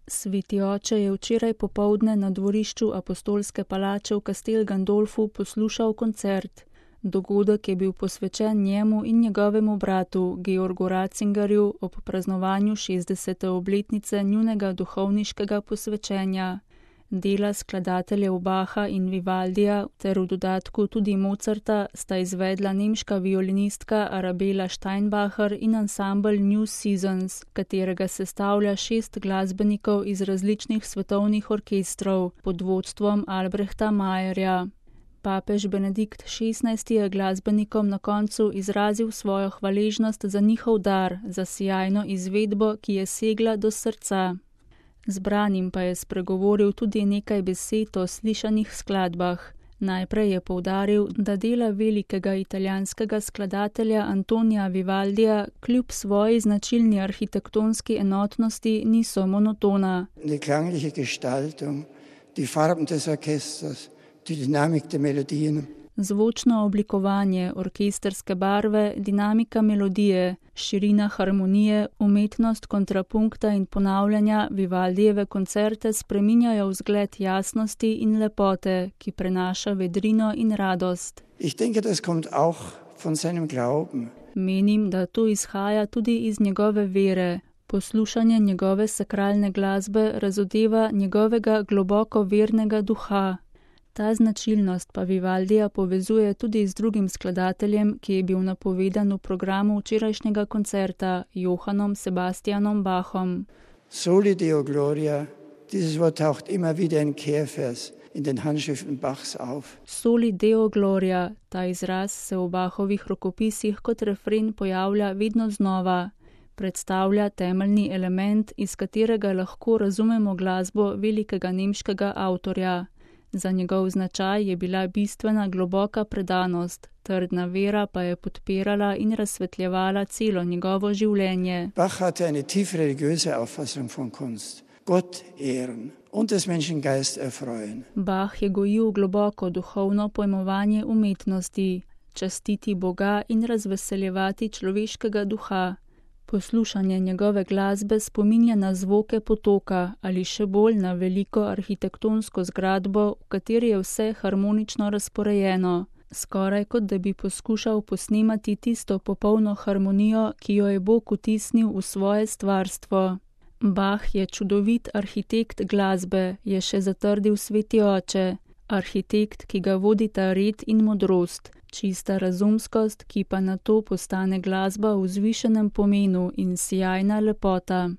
Sveti oče je včeraj popoldne na dvorišču Apostolske palače v Castel Gandolfu poslušal koncert. Dogodek je bil posvečen njemu in njegovemu bratu, Georgu Ratzingerju, ob praznovanju 60. obletnice njunega duhovniškega posvečenja. Dela skladateljev Bacha in Vivaldija ter v dodatku tudi Mozarta sta izvedla nemška violinistka Arabella Steinbacher in ansambel New Seasons, katerega sestavlja 6 glasbenikov iz različnih svetovnih orkestrov pod vodstvom Albrehta Mayerja. Papež Benedikt XVI je glasbenikom na koncu izrazil svojo hvaležnost za njihov dar, za sijajno izvedbo, ki je segla do srca. Zbranim pa je spregovoril tudi nekaj besed o slišanih skladbah. Najprej je poudaril, da dela velikega italijanskega skladatelja Antonija Vivaldija kljub svoji značilni arhitektonski enotnosti niso monotona. Die klangliche Gestaltung, die Farben des Orchesters, die Dynamik der Melodien. Zvočno oblikovanje, orkesterske barve, dinamika melodije, širina harmonije, umetnost kontrapunkta in ponavljanja Vivaldijeve koncerte spreminjajo vzgled jasnosti in lepote, ki prenaša vedrino in radost. Ich denke, das kommt auch von seinem Glauben. Menim, da to izhaja tudi iz njegove vere. Poslušanje njegove sakralne glasbe razodeva njegovega globoko vernega duha. Ta značilnost pa Vivaldija povezuje tudi z drugim skladateljem, ki je bil napovedan v programu včerajšnjega koncerta, Johannom Sebastianom Bachom. Soli Deo Gloria, dieses Wort taucht immer wieder in Kehrvers in den Handschriften Bachs auf. Soli Deo Gloria, ta izraz se v Bachovih rokopisih kot refren pojavlja vedno znova. Predstavlja temeljni element, iz katerega lahko razumemo glasbo velikega nemškega avtorja. Za njegov značaj je bila bistvena globoka predanost, trdna vera pa je podpirala in razsvetljevala celo njegovo življenje. Bach hatte eine tief religiöse Auffassung von Kunst. Gott ehren und des Menschen Geist erfreuen. Bach je gojil globoko duhovno pojmovanje umetnosti, častiti Boga in razveseljevati človeškega duha. Poslušanje njegove glasbe spominja na zvoke potoka ali še bolj na veliko arhitektonsko zgradbo, v kateri je vse harmonično razporejeno, skoraj kot da bi poskušal posnemati tisto popolno harmonijo, ki jo je Bog vtisnil v svoje stvarstvo. Bach je čudovit arhitekt glasbe, je še zatrdil sveti oče, arhitekt, ki ga vodita red in modrost. Čista razumskost, ki pa nato postane glasba v vzvišenem pomenu in sijajna lepota.